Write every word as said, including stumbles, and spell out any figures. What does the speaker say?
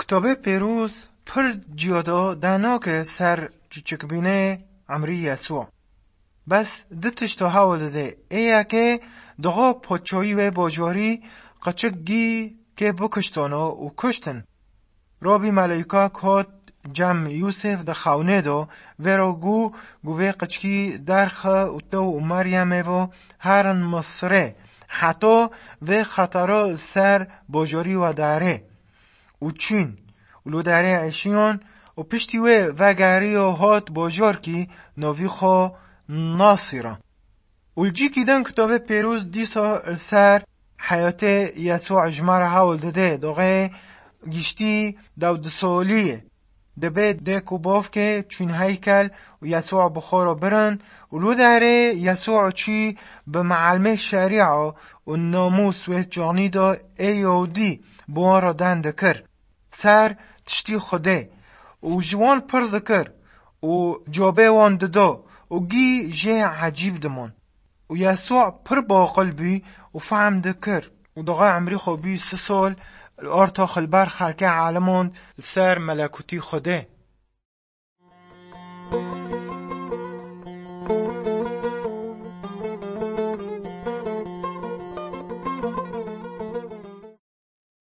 Kitabê Pêrûz pir ciya de danoke ser çiçikbînê emrî Yesû. Bes du tişta hewl dide. Ê yekê dixa poçoyî wê bajarî qeçik gî kê bikiştana û kuştin. Rabî meleyka kot cem Yûsif di xewnê de, vê ra gu, gu vê qiçkî derxe û te û Meryemê vo herin Misirê, heta vê xetera ser bajarî we dare. Û çûn, û lo derê eşiyan, û piştî wê vegeriyo hat bajarkî navî xwe Nasîra. Û li cîkî din Kitabê Pêroz dîsa li ser heyatê Yesû ji me re hewl dide, doxê giştî dew du solî ye. Dibê dêk û bavkê çûn heykel û Yesû bi xwe re birin û li derê Yesû çû bi meelmê şerîa û namûs wê çaxnî de ê Yahûdî bi wan re deng dikir. Ser tiştî Xwedê û ji wan pirs dikir û cawabê wan dida û gî jê ecîb dimon. Û Yesû pir baqil bû û fehm dikir û doxê emrî xwe bû si sol li orta xilber xelkê elimand li ser melekûtî Xwedê.